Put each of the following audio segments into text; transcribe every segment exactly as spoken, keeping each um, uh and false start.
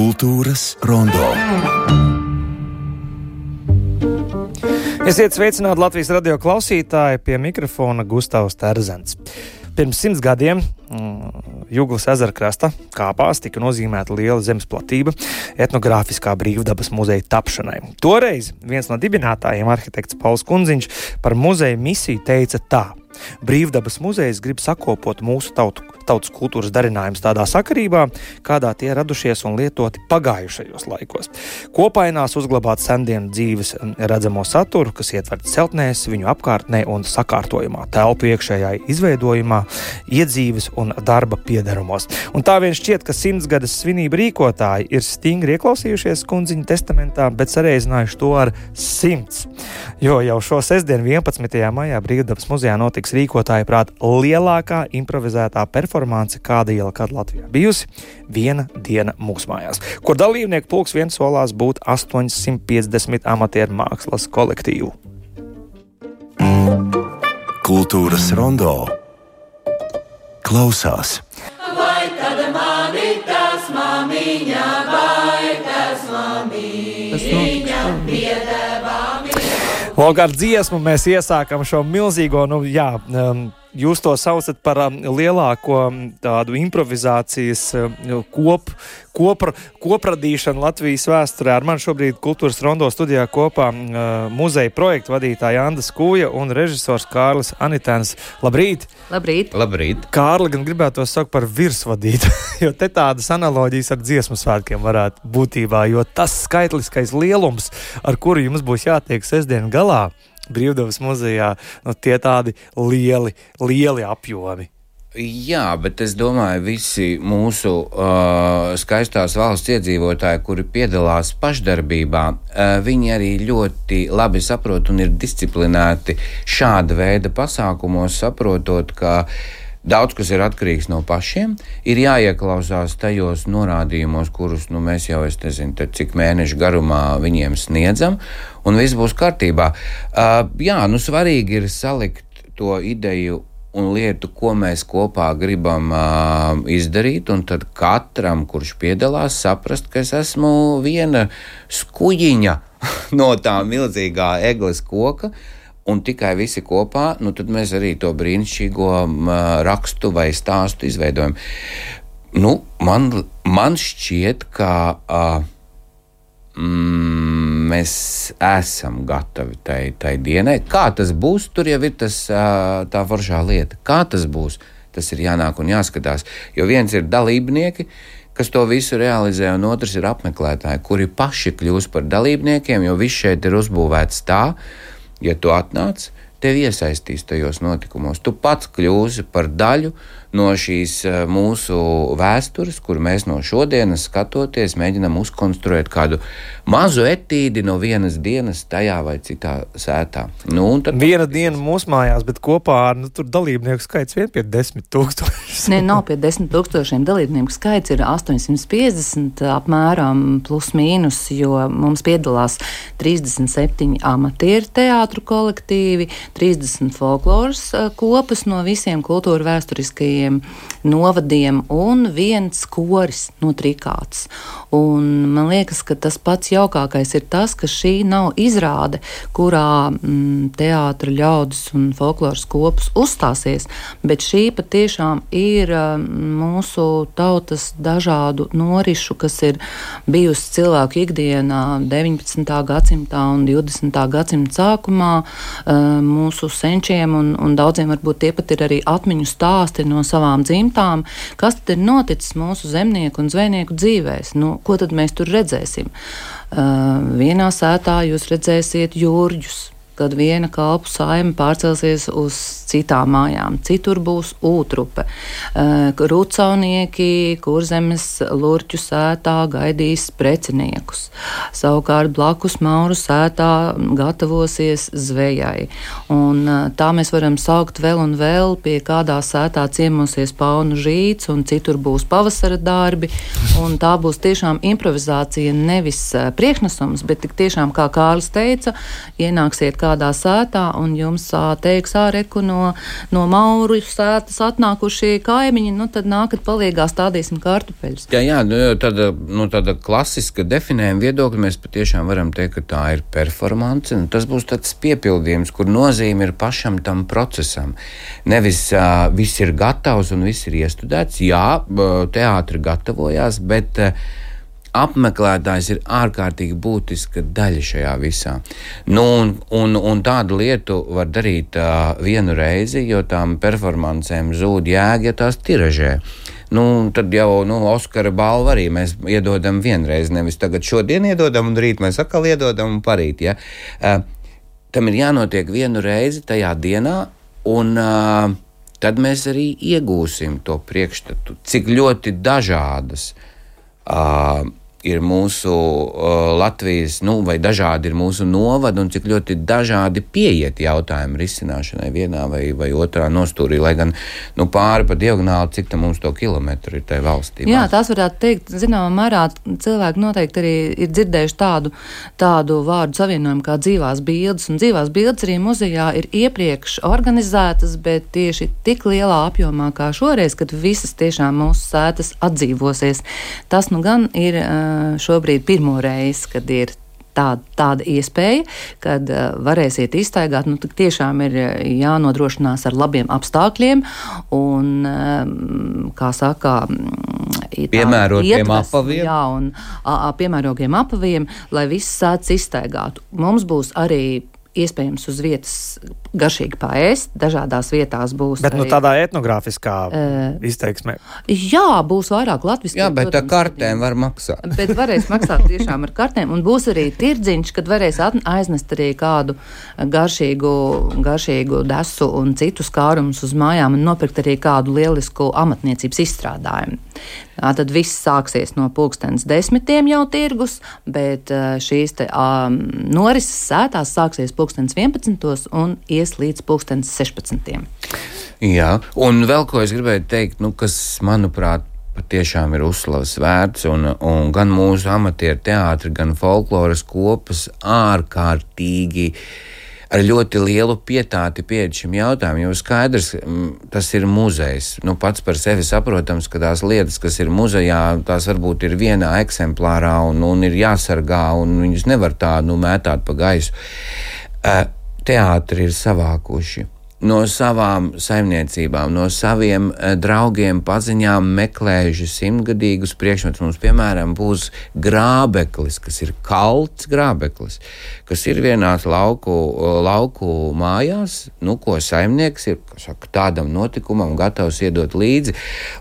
Kultūras rondo. Esiet sveicināti Latvijas radio klausītāji, pie mikrofona Gustavs Terzens. Pirms simts gadiem Juglas ezera krasta kāpās tika nozīmēta liela zemes platība etnogrāfiskā brīvdabas muzeja tapšanai. Toreiz viens no dibinātājiem, arhitekts Pauls Kundziņš, par muzeja misiju teica tā: Brīvdabas muzejs grib sakopot mūsu tautu, tautas kultūras darinājumus tādā sakarībā, kādā tie radušies un lietoti pagājušajos laikos. Kopainās uzglabāt sendienu dzīves redzamo saturu, kas ietverts celtnēs, viņu apkārtnē un sakārtojumā, telpu iekšējā izveidojumā, iedzīves un darba piederumos. Un tā vien šķiet, ka simtsgades svinību rīkotāji ir stingri ieklausījušies Kundziņa testamentā, bet sareizinājuši to ar simts. Jo jau šo sestdienu vienpadsmitajā maijā Brīvdabas muzejā notiks rīkotāja prāt lielākā improvizētā performance, kāda iela kad Latvijā bijusi, viena diena mūsu mājās, kur dalībnieku pulks viens solās būt astoņsimt piecdesmit amatieru mākslas kolektīvu. Kultūras rondo klausās. Vai tad mani tas mamiņa, vai tas mamiņa piedevā mīļo? Lūk, ar dziesmu mēs iesākam šo milzīgo, nu jā, um, jūs to saucat par um, lielāko tādu improvizācijas um, kop, kopra, kopradīšanu Latvijas vēsturē. Ar mani šobrīd Kultūras rondo studijā kopā uh, muzeja projektu vadītāja Anda Skūja un režisors Kārlis Anitēns. Labrīt! Labrīt! Labrīt! Kārli gan gribētu to saukt par virsvadītu, jo te tādas analoģijas ar dziesmu svētkiem varētu būtībā, jo tas skaitliskais lielums, ar kuru jums būs jātiek sestdien galā Brīvdabas muzejā, nu tie tādi lieli, lieli apjomi. Jā, bet es domāju, visi mūsu uh, skaistās valsts iedzīvotāji, kuri piedalās pašdarbībā, uh, viņi arī ļoti labi saprot un ir disciplinēti šāda veida pasākumos, saprotot, ka daudz kas ir atkarīgs no pašiem, ir jāieklausās tajos norādījumos, kurus nu, mēs jau, es nezinu, cik mēnešu garumā viņiem sniedzam, un viss būs kārtībā. Uh, jā, nu svarīgi ir salikt to ideju un lietu, ko mēs kopā gribam uh, izdarīt, un tad katram, kurš piedalās, saprast, ka es esmu viena skuģiņa no tā milzīgā egles koka, un tikai visi kopā, nu tad mēs arī to brīnišķīgo uh, rakstu vai stāstu izveidojam. Nu, man, man šķiet, ka uh, mm, mēs esam gatavi tai, tai dienai. Kā tas būs, tur jau ir tas, uh, tā foršā lieta. Kā tas būs, tas ir jānāk un jāskatās. Jo viens ir dalībnieki, kas to visu realizē, un otrs ir apmeklētāji, kuri paši kļūs par dalībniekiem, jo viss šeit ir uzbūvēts tā, ja tu atnāc, tevi iesaistīs tajos notikumos. Tu pats kļūsi par daļu no šīs mūsu vēstures, kur mēs no šodienas skatoties mēģinam uzkonstruēt kādu mazu etīdi no vienas dienas tajā vai citā sētā. Nu, un tad... Viena diena mūsu mājās, bet kopā ar nu, tur dalībnieku skaits vien pie desmit tūkstoši. Nē, nav pie desmit tūkstošiem. Dalībnieku skaits ir astoņsimt piecdesmit apmēram plus mīnus, jo mums piedalās trīsdesmit septiņi amatieru teātru kolektīvi, trīsdesmit folkloras kopas no visiem kultūra vēsturiskajiem novadiem un viens koris no Trikātas. Un man liekas, ka tas pats jaukākais ir tas, ka šī nav izrāde, kurā mm, teātra ļaudis un folkloras kopas uzstāsies, bet šī patiešām ir mm, mūsu tautas dažādu norišu, kas ir bijusi cilvēku ikdienā deviņpadsmitā gadsimtā un divdesmitā gadsimta sākumā mūsu senčiem un, un daudziem varbūt tie pat ir arī atmiņu stāsti no savām dzimtām, kas tad ir noticis mūsu zemnieku un zvejnieku dzīvēs. Nu, ko tad mēs tur redzēsim? Uh, vienā sētā jūs redzēsiet jūrģus, kad viena kalpu saime pārcelsies uz citām mājām. Citur būs ūtrupe. Rūcaunieki Kurzemes lurķu sētā gaidīs preciniekus. Savukārt blakus Mauru sētā gatavosies zvejai. Un tā mēs varam saukt vēl un vēl, pie kādā sētā ciemosies paunu žīts, un citur būs pavasara darbi. Un tā būs tiešām improvizācija, nevis priekšnesums, bet tik tiešām, kā Kārlis teica, ienāksiet kādā sētā un jums teiks āreku no, no Mauru sētas atnākušie kaimiņi, nu tad nākat palīgā, stādīsim kartupeļus. Jā, jā, nu, tāda, nu, tāda klasiska definējuma viedokļa mēs patiešām varam teikt, ka tā ir performance, un tas būs tāds piepildījums, kur nozīme ir pašam tam procesam. Nevis uh, viss ir gatavs un viss ir iestudēts, jā, teātri gatavojās, bet uh, apmeklētājs ir ārkārtīgi būtiska daļa šajā visā. Nu, un, un, un tādu lietu var darīt uh, vienu reizi, jo tām performancēm zūd jēga, ja tās tiražē. Nu, tad jau nu, Oskara balvu arī mēs iedodam vienreiz, nevis tagad šodien iedodam un rīt mēs atkal iedodam un parīt. Ja? Uh, tam ir jānotiek vienu reizi tajā dienā, un uh, tad mēs arī iegūsim to priekšstatu, cik ļoti dažādas uh, ir mūsu uh, Latvijas, nu, vai dažādi ir mūsu novadi un cik ļoti dažādi pieiet jautājumu risināšanai vienā vai, vai otrā nostūrī, lai gan nu, pāri pa diagonāli, cik tam mums to kilometru ir tai valstī. Jā, tās varētu teikt, zināmā mērā cilvēki noteikti arī ir dzirdējuši tādu, tādu vārdu savienojumu kā dzīvās bildes, un dzīvās bildes arī muzejā ir iepriekš organizētas, bet tieši tik lielā apjomā kā šoreiz, kad visas tiešām mūsu sētas atdzīvosies. Tas nu gan ir šobrīd pirmo reizi, kad ir tāda, tāda iespēja, kad uh, varēsiet izstaigāt, nu, tiešām ir jānodrošinās ar labiem apstākļiem un, um, kā saka, piemērotiem apaviem. Jā, un a, a, piemērotiem apaviem, lai viss sēdz izstaigātu. Mums būs arī iespējams uz vietas garšīgi paēst, dažādās vietās būs. Bet arī, nu tādā etnogrāfiskā uh, izteiksmē. Jā, būs vairāk latviski. Jā, bet ar kartēm var maksāt. Bet varēs maksāt tiešām ar kartēm, un būs arī tirdziņš, kad varēs aiznest arī kādu garšīgu, garšīgu desu un citus kārumus uz mājām un nopirkt arī kādu lielisku amatniecības izstrādājumu. Tad viss sāksies no pulkstens desmitiem jau tirgus, bet šīs te um, norises sētās sāksies pulkstens vienpadsmitos un ies līdz pulkstens sešpadsmitiem. Jā, un vēl ko es gribēju teikt, nu, kas, manuprāt, patiešām ir uzslavas vērts, un, un gan mūsu amatieru teātri, gan folkloras kopas ārkārtīgi ar ļoti lielu pietāti pieeja šim jautājumam, jo skaidrs, tas ir muzejs. Nu, pats par sevi saprotams, ka tās lietas, kas ir muzejā, tās varbūt ir vienā eksemplārā un, un ir jāsargā, un viņus nevar tā nu, mētāt pa gaisu. Teātri ir savākuši no savām saimniecībām, no saviem draugiem, paziņām meklējuši simtgadīgus priekšmetus. Mums, piemēram, būs grābeklis, kas ir kalts grābeklis, kas ir vienās lauku, lauku mājās, nu, ko saimnieks ir, saka, tādam notikumam gatavs iedot līdzi,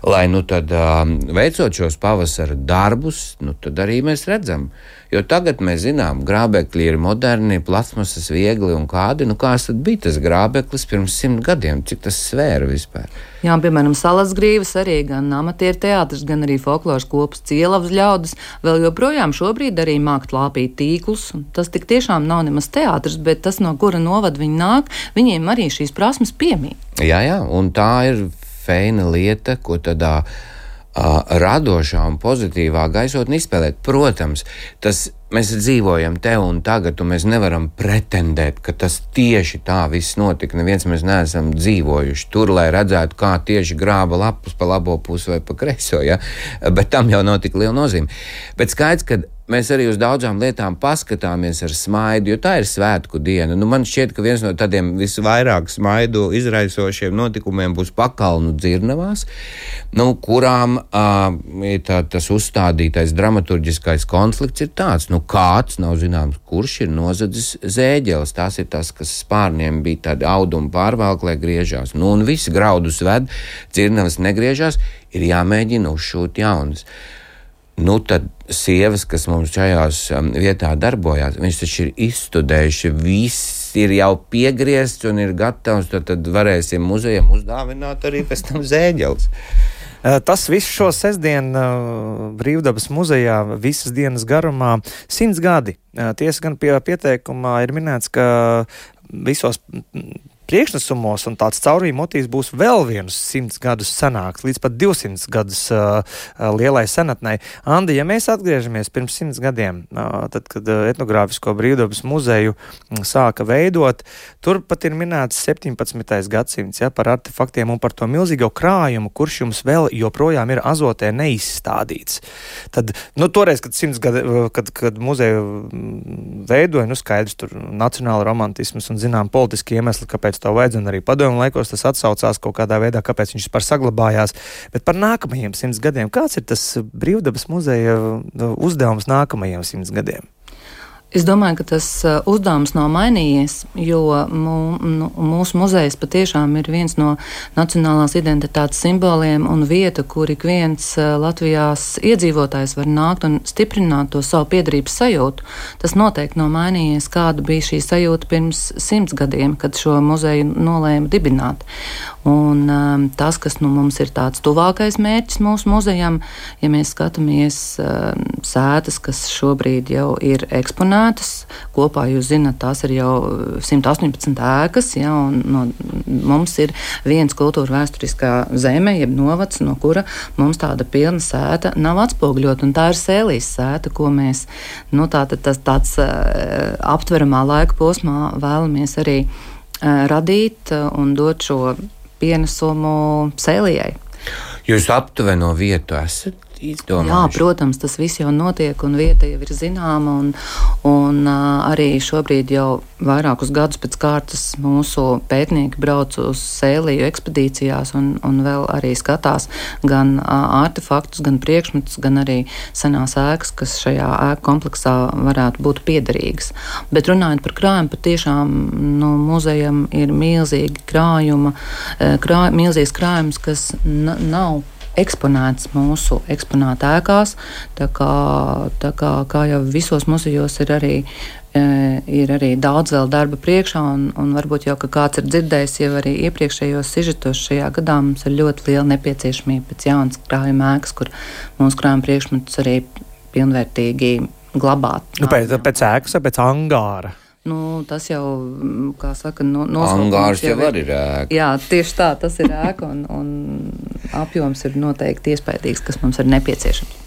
lai, nu, tad veicot šos pavasara darbus, nu, tad arī mēs redzam. Jo tagad mēs zinām, grābekļi ir moderni, plasmasas viegli un kādi, nu, kāds tad bija tas grābeklis pirms simt gadiem, cik tas svēra vispār. Jā, piemēram, Salasgrīvas arī gan amatieru teātris, gan arī folkloras kopas Cielavas ļaudis vēl joprojām šobrīd arī māk lāpīt tīklus. Tas tik tiešām nav nemaz teātris, bet tas, no kura novada viņi nāk, viņiem arī šīs prasmes piemīt. Jā, jā, un tā ir feina lieta, ko tādā uh, radošā un pozitīvā gaisotnē izspēlēt. Protams, tas mēs dzīvojam te un tagad, un mēs nevaram pretendēt, ka tas tieši tā viss notika. Neviens mēs neesam dzīvojuši tur, lai redzētu, kā tieši grāba lapus pa labo pusi vai pa kreiso, ja? Bet tam jau nav tik liela nozīme. Bet skaidrs, ka mēs arī uz daudzām lietām paskatāmies ar smaidu, jo tā ir svētku diena. Nu, man šķiet, ka viens no tādiem visvairāk smaidu izraisošiem notikumiem būs Pakalnu dzirnavās, nu, kurām uh, tā, tas uzstādītais dramaturģiskais konflikts ir tāds, nu, kāds, nav zināms, kurš ir nozadzis zēģeles. Tās ir tas, kas spārniem bija tādi audumi pārvalk, lai griežās. Nu, un visi graudus ved, dzirnavas negriežās, ir jāmēģina uzšūt jaunas. Nu, tad sievas, kas mums šajās um, vietā darbojās, viņš taču ir izstudējuši, viss ir jau piegriezts un ir gatavs, tad, tad varēsim muzejam uzdāvināt arī pēc tam zēģeles. Tas viss šo sestdienu Brīvdabas muzejā visas dienas garumā simts gadi. Tiesa gan pie pieteikumā ir minēts, ka visos priekšnesumos un tāds caurvīja motīvs būs vēl vienus simts gadus senāks, līdz pat divsimts gadus uh, lielai senatnei. Andi, ja mēs atgriežamies pirms simts gadiem, uh, tad, kad uh, etnogrāfisko brīvdabas muzeju sāka veidot, tur pat ir minēts septiņpadsmitais gadsimts, ja, par artefaktiem un par to milzīgo krājumu, kurš jums vēl joprojām ir azotē neizstādīts. Tad, nu, toreiz, kad simts gadi, kad, kad muzeju veidoja, nu, skaidrs, tur nacionāla romantisms un, zinām, politiski iemesli, kāpēc to vajadz, un arī padomju laikos tas atsaucās kaut kādā veidā, kāpēc viņš vispār saglabājās. Bet par nākamajiem simts gadiem, kāds ir tas brīvdabas muzeja uzdevums nākamajiem simts gadiem? Es domāju, ka tas uzdevums nav mainījies, jo mū, nu, mūsu muzejs patiešām ir viens no nacionālās identitātes simboliem un vieta, kur ik viens Latvijās iedzīvotājs var nākt un stiprināt to savu piederības sajūtu. Tas noteikti nav mainījies, kāda bija šī sajūta pirms simts gadiem, kad šo muzeju nolēma dibināt. Un um, tas, kas nu, mums ir tāds tuvākais mērķis mūsu muzejam, ja mēs skatāmies um, sētas, kas šobrīd jau ir eksponētas, kopā jūs zināt, tās ir jau simt astoņpadsmit ēkas, ja, un no, mums ir viens kultūra vēsturiskā zeme, jeb novads, no kura mums tāda pilna sēta nav atspoguļot, un tā ir Sēlijas sēta, ko mēs, nu, tātad tas tāds uh, aptveramā laika posmā vēlamies arī uh, radīt uh, un dot šo pienesumu Sēlijai. Jūs aptuveno vietu esat izdomājuši? Jā, protams, tas viss jau notiek un vieta jau ir zināma un, un uh, arī šobrīd jau vairākus gadus pēc kārtas mūsu pētnieki brauc uz Sēliju ekspedīcijās un, un vēl arī skatās gan uh, artefaktus, gan priekšmetus, gan arī senās ēkas, kas šajā ēku kompleksā varētu būt piederīgas. Bet runājot par krājumu, patiešām nu, muzejam ir milzīgi krājuma, krā, milzīgs krājums, kas n- nav eksponēts mūsu eksponāta ēkās, tā kā, tā kā, kā jau visos muzejos ir arī, e, ir arī daudz vēl darba priekšā, un, un varbūt jau, ka kāds ir dzirdējis jau arī iepriekšējos sižetos šajā gadā, mums ir ļoti liela nepieciešamība pēc jaunas krājuma ēkas, kur mūsu krājuma priekšmetus arī pilnvērtīgi glabāt. Nu, pēc, pēc ēkas vai pēc angāra? Nu, tas jau, kā saka, no, angārs jau var ir ēka. Jā, tieši tā, tas ir ēka un, un apjoms ir noteikti iespaidīgs, kas mums ir nepieciešams.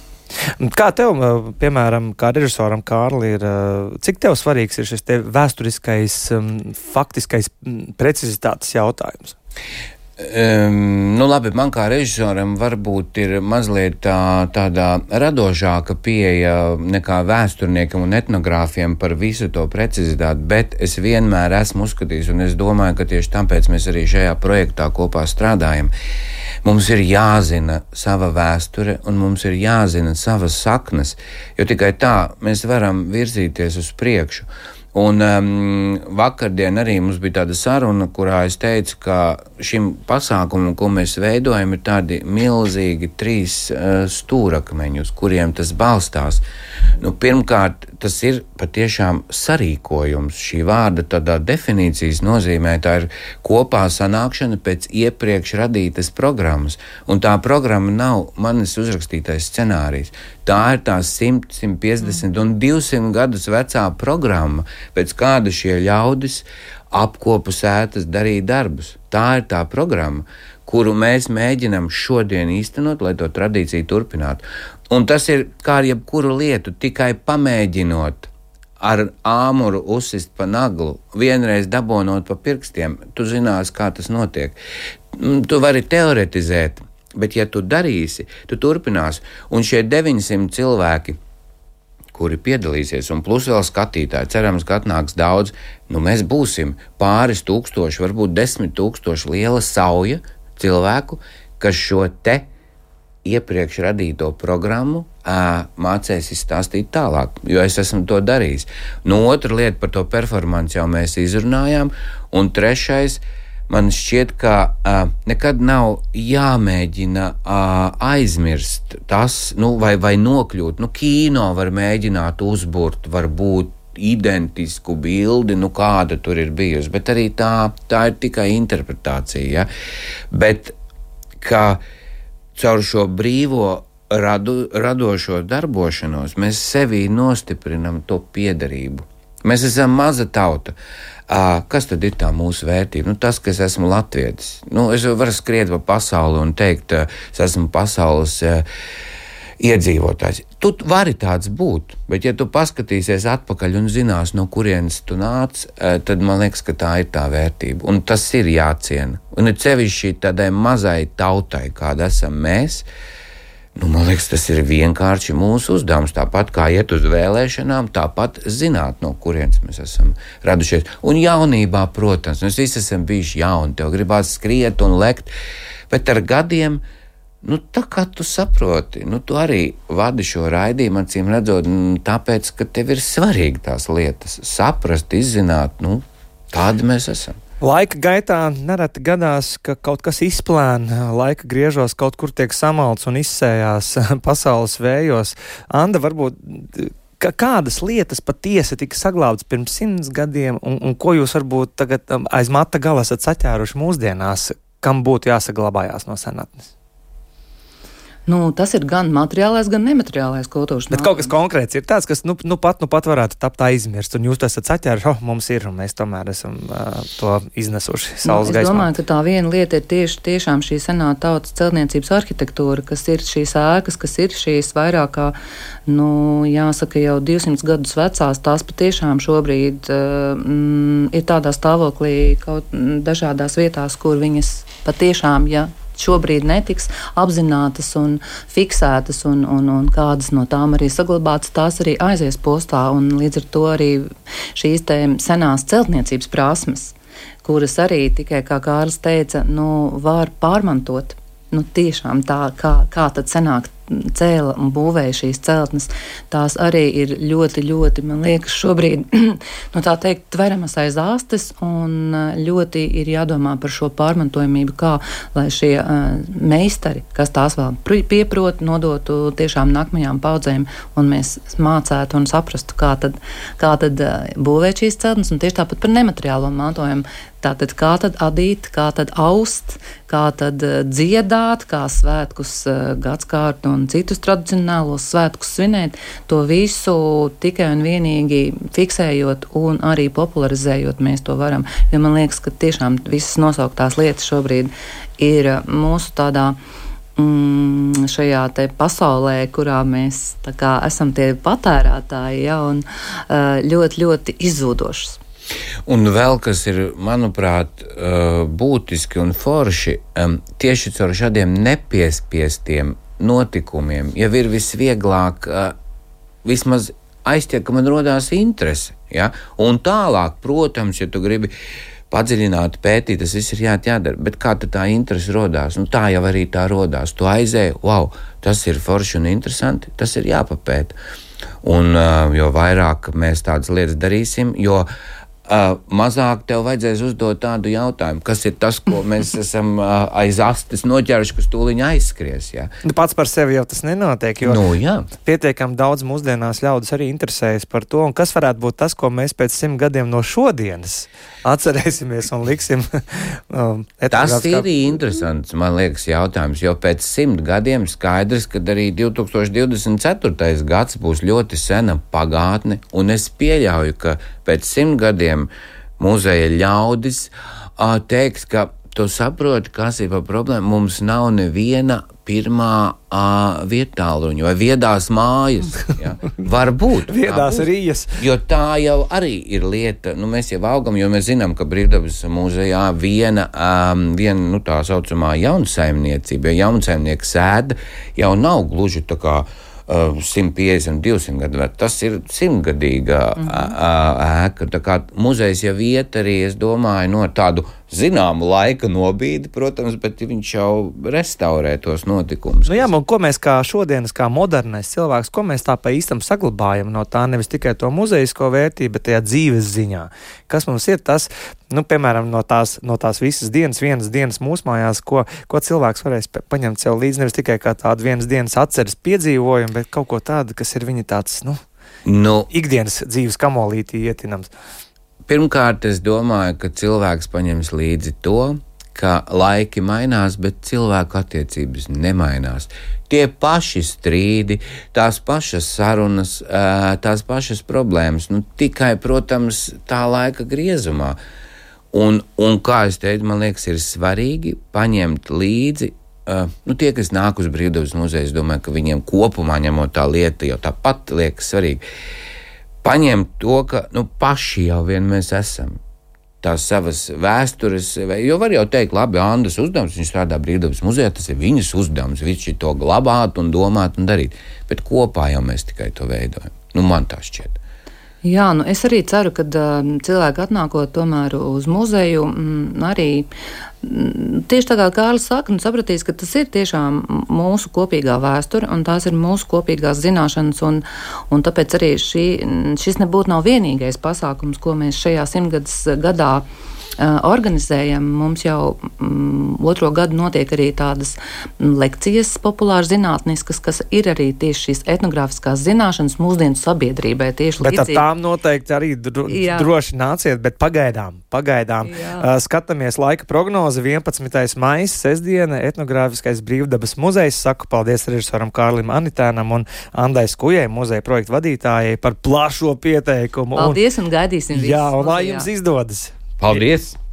Kā tev, piemēram, kā režisoram Kārli, ir, cik tev svarīgs ir šis te vēsturiskais, faktiskais precizitātes jautājums? Um, nu labi, man kā režisoram varbūt ir mazliet tā, tādā radošāka pieeja nekā vēsturniekam un etnogrāfiem par visu to precizitāti, bet es vienmēr esmu uzskatījis, un es domāju, ka tieši tāpēc mēs arī šajā projektā kopā strādājam. Mums ir jāzina sava vēsture un mums ir jāzina savas saknes, jo tikai tā mēs varam virzīties uz priekšu. Un um, vakardien arī mums bija tāda saruna, kurā es teicu, ka šim pasākumam, ko mēs veidojam, ir tādi milzīgi trīs uh, stūrakmeņi, uz kuriem tas balstās. Nu, pirmkārt, tas ir patiešām sarīkojums. Šī vārda tādā definīcijas nozīmē, tā ir kopā sanākšana pēc iepriekš radītas programmas. Un tā programma nav manis uzrakstītais scenārijs. Tā ir tā simt, simt piecdesmit un divsimt gadus vecā programma, pēc kāda šie ļaudis apkopu sētas darīja darbus. Tā ir tā programma, kuru mēs mēģinam šodien īstenot, lai to tradīciju turpinātu. Un tas ir kā ar jebkuru lietu, tikai pamēģinot ar āmuru uzsist pa naglu, vienreiz dabonot pa pirkstiem, tu zinās, kā tas notiek. Tu vari teoretizēt, bet ja tu darīsi, tu turpināsi. Un šie deviņsimt cilvēki, kuri piedalīsies, un plus vēl skatītāji, cerams, ka atnāks daudz, nu mēs būsim pāris tūkstoši, varbūt desmit tūkstoši liela sauja cilvēku, kas šo te iepriekš radīto programmu ā, mācēs izstāstīt tālāk, jo es esmu to darījis. Nu, otra lieta par to performanci jau mēs izrunājām, un trešais, man šķiet, ka uh, nekad nav jāmēģina uh, aizmirst tas, nu, vai, vai nokļūt. Nu, kīno var mēģināt uzburt, varbūt identisku bildi, nu, kāda tur ir bijusi, bet arī tā, tā ir tikai interpretācija. Ja? Bet ka caur šo brīvo radu, radošo darbošanos mēs sevī nostiprinam to piederību. Mēs esam maza tauta. Uh, kas tad ir tā mūsu vērtība? Nu, tas, ka es esmu latvietis. Nu, es varu skriet pa pasauli un teikt, uh, es esmu pasaules uh, iedzīvotājs. Tu vari tāds būt, bet ja tu paskatīsies atpakaļ un zinās, no kurienes tu nāc, tad man liekas, ka tā ir tā vērtība. Un tas ir jāciena. Un ir sevišķi tādai mazai tautai, kāda esam mēs, nu, man liekas, tas ir vienkārši mūsu uzdevums. Tāpat kā iet uz vēlēšanām, tāpat zināt, no kurienes mēs esam radušies. Un jaunībā, protams, mēs visi esam bijuši jauni, tev gribās skriet un lekt, bet ar gadiem, nu, tā kā tu saproti, nu, tu arī vadi šo raidījumu, acīm redzot, tāpēc, ka tev ir svarīgi tās lietas saprast, izzināt, nu, tādi mēs esam. Laika gaitā nereti gadās, ka kaut kas izplēna, laika griežos kaut kur tiek samalts un izsējās pasaules vējos. Anda, varbūt, ka kādas lietas patiesi tika saglābtas pirms simts gadiem, un, un ko jūs varbūt tagad aiz mata gala esat saķēruši mūsdienās, kam būtu jāsaglabājās no senatnes? Nu, tas ir gan materiālais, gan nemateriālais kultūras. Bet kaut kas konkrēts ir tāds, kas nu, nu pat, nu pat varētu tapt aizmirst, un jūs to esat saķēruši, oh, mums ir, un mēs tomēr esam uh, to iznesuši saules gaismā. Es domāju, ka tā viena lieta ir tieši tiešām šī senā tautas celtniecības arhitektūra, kas ir šīs ēkas, kas ir šīs vairāk kā, nu, jāsaka, jau divsimt gadus vecās, tās patiešām šobrīd uh, mm, ir tādā stāvoklī kaut dažādās vietās, kur viņas patiešām, ja šobrīd netiks apzinātas un fiksētas, un, un, un kādas no tām arī saglabātas, tās arī aizies postā, un līdz ar to arī šīs te senās celtniecības prasmes, kuras arī tikai, kā Kārlis teica, nu, var pārmantot. Nu, tiešām tā, kā, kā tad senāk cēla un būvēja šīs celtnes, tās arī ir ļoti, ļoti, man liekas, šobrīd, nu tā teikt, tveramas aiz āstes, un ļoti ir jādomā par šo pārmantojamību, kā, lai šie uh, meistari, kas tās vēl pieprot, nodotu tiešām nākamajām paudzēm, un mēs mācētu un saprastu, kā tad, kā tad uh, būvēt šīs celtnes, un tieši tāpat par nemateriālo mantojumu. Tātad, kā tad adīt, kā tad aust, kā tad uh, dziedāt, kā svētkus uh, gadskārtu un citus tradicionālos svētkus svinēt, to visu tikai un vienīgi fiksējot un arī popularizējot mēs to varam. Jo man liekas, ka tiešām visas nosauktās lietas šobrīd ir mūsu tādā mm, šajā te pasaulē, kurā mēs tā kā esam tie patērētāji, ja, un uh, ļoti, ļoti izzūdošas. Un vēl, kas ir, manuprāt, būtiski un forši, tieši caur šādiem nepiespiestiem notikumiem, jau ir visvieglāk vismaz aizķert, ka man rodās interese. Ja? Un tālāk, protams, ja tu gribi padziļināt, pētīt, tas viss ir jā, jādara, bet kā tā interese rodās? Nu, tā jau arī tā rodās. Tu aizēji, wow, tas ir forši un interesanti, tas ir jāpapēta. Un jo vairāk mēs tādas lietas darīsim, jo Uh, mazāk tev vajadzēs uzdot tādu jautājumu, kas ir tas, ko mēs esam uh, aiz astes noķēruši, kas tūliņ aizskries. Jā. Pats par sevi jau tas nenotiek, jo nu, jā. pietiekami daudz mūsdienās ļaudis arī interesējas par to, un kas varētu būt tas, ko mēs pēc simt gadiem no šodienas atcerēsimies un liksim. um, tas ir kā... interesants, man liekas, jautājums, jo pēc simt gadiem skaidrs, ka arī divi tūkstoši divdesmit ceturtais gads būs ļoti sena pagātne, un es pieļauju, ka pēc simt gadiem muzeja ļaudis uh, teiks, ka tu saproti, kas ir par problēmu. Mums nav neviena pirmā uh, vietāluņa vai viedās mājas. Ja? Varbūt. Viedās rījas. Jo tā jau arī ir lieta. Nu, mēs jau augam, jo mēs zinām, ka Brīvdabas muzejā viena, um, viena nu, tā saucamā jaunsaimniecība, ja jaunsaimnieka sēda jau nav gluži tā kā simt piecdesmit, divsimt gadu vec. Tas ir simtgadīga mm-hmm. ēka. Tā kā muzejs jau iet arī, es domāju, no tādu zināmu laika nobīdi, protams, bet viņš jau restaurē tos notikumus. Nu jā, un ko mēs kā šodienas, kā modernais cilvēks, ko mēs tā pa īstam saglabājam no tā nevis tikai to muzejisko vērtību, bet tajā dzīves ziņā. Kas mums ir tas, nu, piemēram, no tās, no tās visas dienas, vienas dienas mūsu mājās, ko, ko cilvēks varēs paņemt sev līdzi, nevis tikai kā tādu vienas dienas atceres piedzīvojumu, bet kaut ko tādu, kas ir viņa tāds, nu, nu ikdienas dzīves kamolītī ietinams. Pirmkārt, es domāju, ka cilvēks paņems līdzi to, ka laiki mainās, bet cilvēku attiecības nemainās. Tie paši strīdi, tās pašas sarunas, tās pašas problēmas, nu tikai, protams, tā laika griezumā. Un, un kā es teicu, man liekas, ir svarīgi paņemt līdzi, uh, nu tie, kas nāk uz Brīvdabas muzeju, es domāju, ka viņiem kopumā ņemot tā lieta jau tāpat liekas svarīgi, paņemt to, ka, nu, paši jau vien mēs esam. Tās savas vēstures, jo var jau teikt, labi, Andas uzdevums, viņš strādā Brīvdabas muzejā, tas ir viņas uzdevums, viņš to glabāt un domāt un darīt, bet kopā jau mēs tikai to veidojam. Nu, man tā šķiet. Jā, nu es arī ceru, ka uh, cilvēki atnākot tomēr uz muzeju, mm, arī mm, tieši tā kā Kārlis saka, nu sapratīs, ka tas ir tiešām mūsu kopīgā vēsture un tās ir mūsu kopīgās zināšanas un, un tāpēc arī šī, šis nebūtu nav vienīgais pasākums, ko mēs šajā simtgades gadā organizējam. Mums jau mm, otro gadu notiek arī tādas lekcijas populāri zinātniskas, kas ir arī tieši šīs etnogrāfiskās zināšanas mūsdienu sabiedrībai. Tieši bet līdzīgi. Ar tām noteikti arī dro, droši nāciet, bet pagaidām, pagaidām. Uh, skatāmies laika prognozi, vienpadsmitais maijs, sestdiena, etnogrāfiskais Brīvdabas muzejs. Saku paldies režisoram Kārlim Anitēnam un Andai Skujai, muzeja projektu vadītājai, par plašo pieteikumu. Paldies un, un gaidīsim visus. Jā, un lai jums izdodas. Paldies!